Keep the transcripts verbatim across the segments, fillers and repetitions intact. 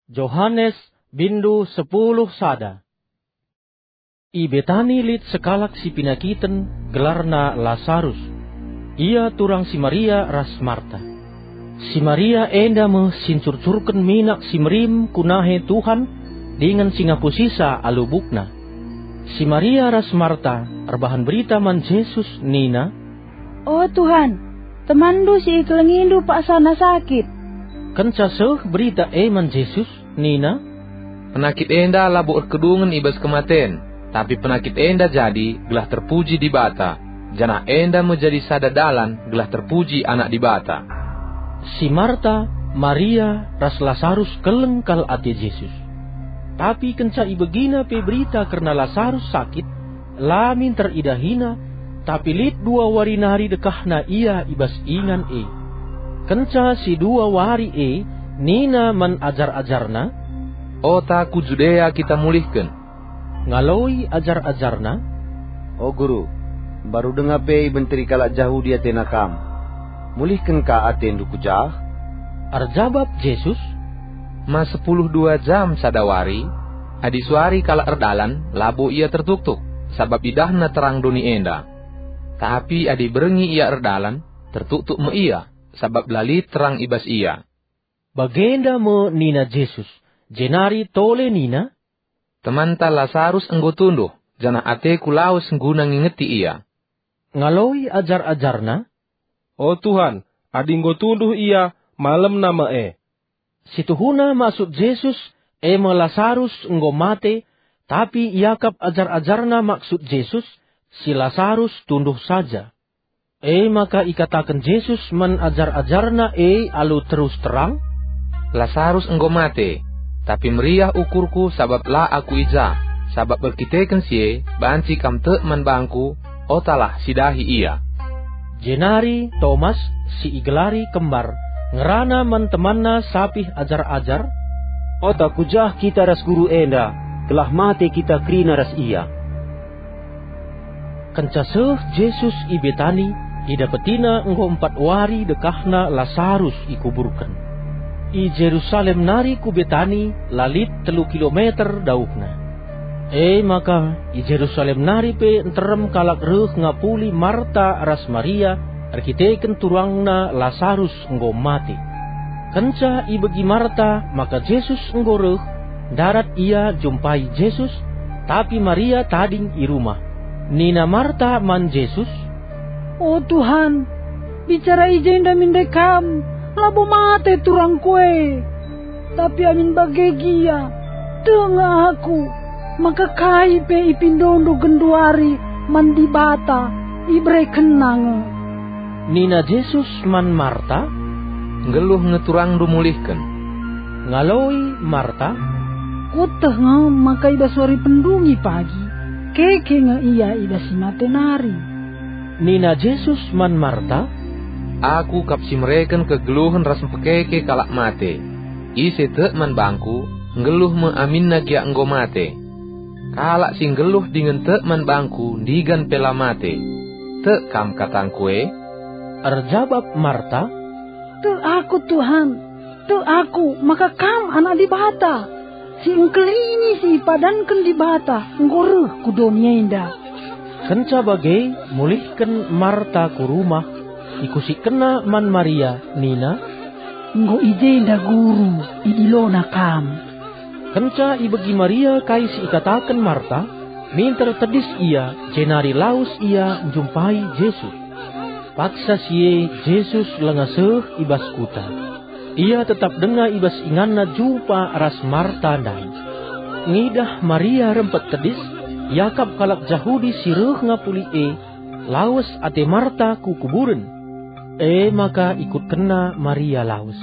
Johanes, bindu sepuluh sada. I Betani lit sekalak si penakiten, gelarna Lasarus. Ia turang si Maria ras Marta. Si Maria enda me si ncurcurken minak si merim ku nahe Tuhan dingen si ngapusisa alu bukna. Si Maria ras Marta erbahan berita man Jesus nina, "O Tuhan, temanndu si ikelengindu paksana sakit." Kenca seh berita e man Jesus, nina, "Penakit enda labo erkedungen i bas kematen, tapi penakit enda jadi gelah terpuji Dibata, janah enda me jadi sada dalan gelah terpuji Anak Dibata." Si Marta, Maria, ras Lasarus keleng kal ate Jesus. Tapi kenca ibegina pe berita kerna Lasarus sakit, la minter idahina, tapi lit dua wari nari dekahna ia i bas ingan e. Kenca si dua wari e, nina man ajar-ajarNa, "Ota ku Judea kita mulihken." Ngaloi ajar-ajarNa, "O Guru, mbaru denga pe ibenteri kalak Jahudi atena Kam. Mulihken ka atendu ku jah?" Erjabap Jesus, "Ma sepuluh dua jam sada wari? Adi suari kalak erdalan, labo ia tertuktuk, sabap idahna terang doni enda. Tapi adi berngi ia erdalan, tertuktuk me ia, sabap la lit terang i bas ia." Bagenda me nina Jesus, jenari tole nina, "Temanta Lasarus enggo tunduh, janah ateKu lawes guna ngingeti ia." Ngaloi ajar-ajarNa, "O Tuhan, adi enggo tunduh ia, malemna me e." Situhuna maksud Jesus e me Lasarus enggo mate, tapi iakap ajar-ajarNa maksud Jesus, si Lasarus tunduh saja. E maka ikataken Jesus man ajar-ajarNa e alu terus terang, "Lasarus enggo mate, tapi meriah ukurKu sabap la Aku i ja, sabap erkiteken si e banci kam tek man bangKu, otalah sidahi ia." Jenari Tomas, si igelari Kembar, ngerana man temanna sapih ajar-ajar, "Ota ku jah kita ras Guru enda, gelah mate kita kerina ras Ia." Kenca seh Jesus i Betani, idapetiNa enggo empat wari dekahna Lasarus ikuburken. I Jerusalem nari ku Betani la lit telu kilometer dauhna. E maka i Jerusalem nari pe nterem kalak reh ngapuli Marta ras Maria erkiteken turangna Lasarus enggo mate. Kenca ibegi Marta maka Jesus enggo reh, ndarat ia jumpai Jesus, tapi Maria tading i rumah. Nina Marta man Jesus, "O Tuhan, bicara i jenda min ndai Kam, labo mate turangku e. Tapi amin bage gia, tek nge aku, maka kai pe ipindoNdu genduari man Dibata, iberekenNa nge." Nina Jesus man Marta, "Nggeluh nge turangndu mulihken." Ngaloi Marta, "Kueteh nge maka i bas wari pendungi pagi, keke nge ia i bas si mate nari." Nina Jesus man Marta, "Aku kap si mereken kegeluhen ras mpekeke kalak mate. Ise tek man bangKu, nggeluh me aminna gia enggo mate. Kalak si nggeluh dingen tek man bangKu ndigan pe la mate. Tek kam katangKu e?" Erjabap Marta, "Tek aku, Tuhan. Tek aku maka Kam Anak Dibata, si engkelini si ipadanken Dibata enggo reh ku doni enda." Kenca bage, mulihken Marta ku rumah, ikusikkenna man Maria, nina, "Enggo i jenda Guru, idilona Kam." Kenca ibegi Maria kai si ikataken Marta, minter tedis ia, jenari lawes ia njumpai Jesus. Paksa si e Jesus langa seh i bas kuta. Ia tetap denga i bas inganna jumpa ras Marta ndai. Ngidah Maria rempet tedis, iakap kalak Jahudi si reh ngapuli e, lawes ate Marta ku kuburen. E maka ikutkenna Maria lawes.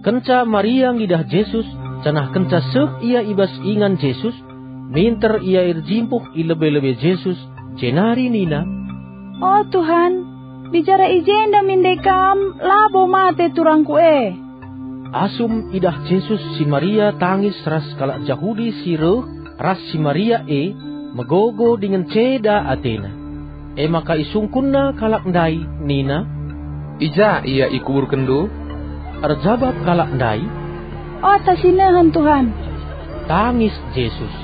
Kenca Maria ngidah Jesus, janah kenca seh ia i bas ingan Jesus, minter ia erjimpuh i lebe-lebe Jesus, jenari nina, "O Tuhan, bicara i jenda min ndai Kam, labo mate turangku e." Asum idah Jesus si Maria tangis ras kalak Jahudi si reh ras si Maria e, megogo dingen ceda atena. E maka isungkunna kalak ndai nina, "I ja ia ikuburkenndu?" Erjabap kalak ndai, "Ata si nehen, Tuhan!" Tangis Jesus.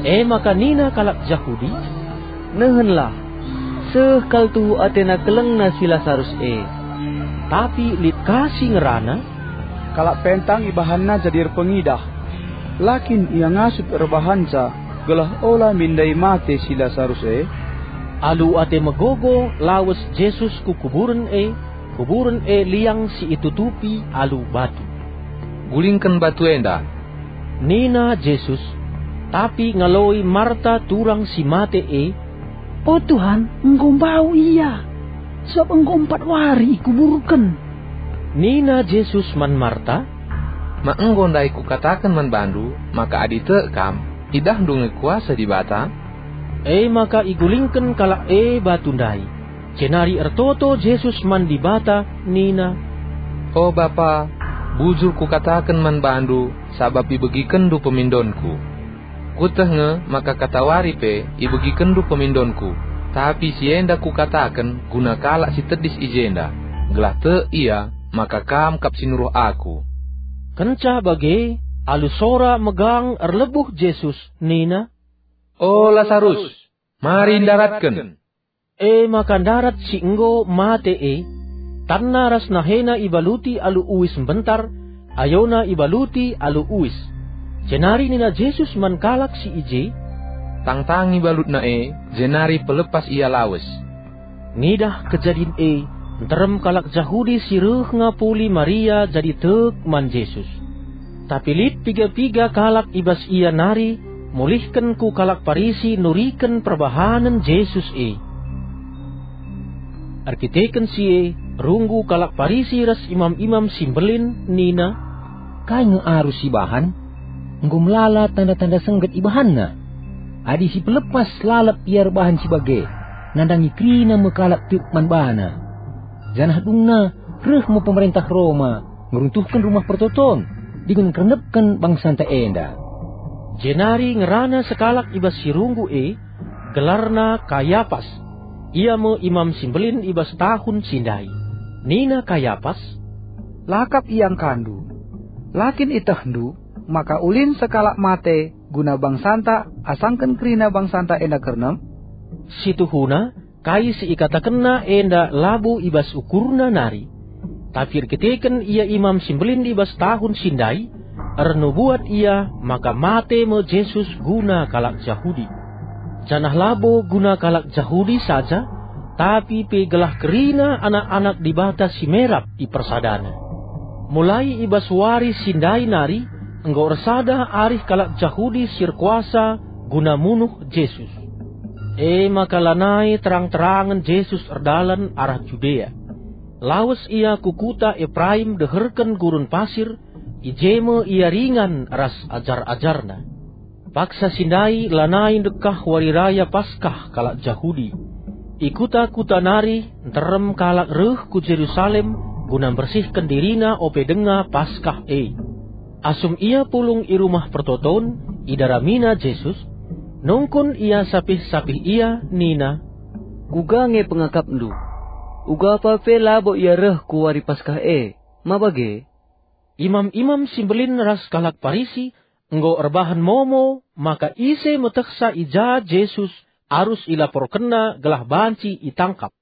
E maka nina kalak Jahudi, "Nehenlah, seh kal tuhu atena kelengna si Lasarus e." Tapi lit ka si ngerana, "Kalak pentang ibahanna jadi erpengidah. La kin ia ngasup erbahanca gelah ola min ndai mate si Lasarus e?" Alu ate megogo lawes Jesus ku kuburen e, kuburen e liang si itutupi alu batu. "Gulingken batu enda," nina Jesus. Tapi ngaloi Marta turang si mate e, "O Tuhan, enggo mbau ia, sabap enggo empat wari ikuburken." Nina Jesus man Marta, "Ma enggo ndai kukataken man bandu maka adi tek kam, idahndu nge kuasa Dibata?" E maka igulingken kalak e batu ndai. Jenari ertoto Jesus man Dibata nina, "O Bapa, bujur kukataken man bandu sabap ibegikenndu pemindonku. Kueteh nge maka katawari pe ibegikenndu pemindonku, tapi si enda kukataken guna kalak si tedis i jenda, gelah tek ia maka kam kap si nuruh aku." Kenca bage, alu sora megang erlebuh Jesus nina, "O Lasarus, mari ndaratken." E maka ndarat si enggo mate e, tanna ras nahena ibaluti alu uis mbentar, ayona ibaluti alu uis. Jenari nina Jesus man kalak si i je, "Tangtangi balutna e, jenari pelepas ia lawes." Ngidah kejadin e, nterem kalak Jahudi si reh ngapuli Maria jadi tek man Jesus. Tapi lit piga-piga kalak i bas ia nari, mulihken ku kalak Parisi nuriken perbahanen Jesus e. Erkiteken si e, runggu kalak Parisi ras imam-imam si mbelin nina, "Kai nge arus ibahan? Enggo melala tanda-tanda sengget ibahanna. Adi si pelepas lalap ia erbahan si bage, nandangi kerina me kalak tek man bana. Janah dungna reh me pemerentah Roma ngeruntuhken Rumah Pertoton dingen ngkernepken bangsanta enda." Jenari ngerana sekalak i bas si runggu e, gelarna Kayapas. Ia me imam si mbelin i bas tahun si ndai. Nina Kayapas, "La kap iangkandu. La kin itehndu maka ulin sekalak mate guna bangsanta asangken kerina bangsanta enda kernep?" Situhuna, kai si ikatakenna enda labo i bas ukurna nari. Tapi erkiteken ia imam si mbelin i bas tahun si ndai, ernubuat ia maka mate me Jesus guna kalak Jahudi. Janah labo guna kalak Jahudi saja, tapi pe gelah kerina anak-anak Dibata si merap ipersadana. Mulai i bas wari si ndai nari, enggo ersada arih kalak Jahudi si erkuasa guna munuh Jesus. E maka lanai terang-terangen Jesus erdalan arah Judea. Lawes ia ku kuta Epraim deherken gurun pasir, i je me ia ringan ras ajar-ajarna. Paksa si ndai lanai ndekah Wari Raya Paskah kalak Jahudi. I kuta-kuta nari nterem kalak reh ku Jerusalem guna mbersihken dirina ope denga Paskah e. Asum ia pulung i Rumah Pertoton, idaramina Jesus, nungkun ia sapih-sapih ia nina, "Kuga nge pengakapndu? Ugapa pe labo ia reh ku Wari Paskah e. Ma bage?" Imam-imam si mbelin ras kalak Parisi enggo erbahan momo maka ise metehsa i ja Jesus arus ilaporkenna gelah banci itangkap.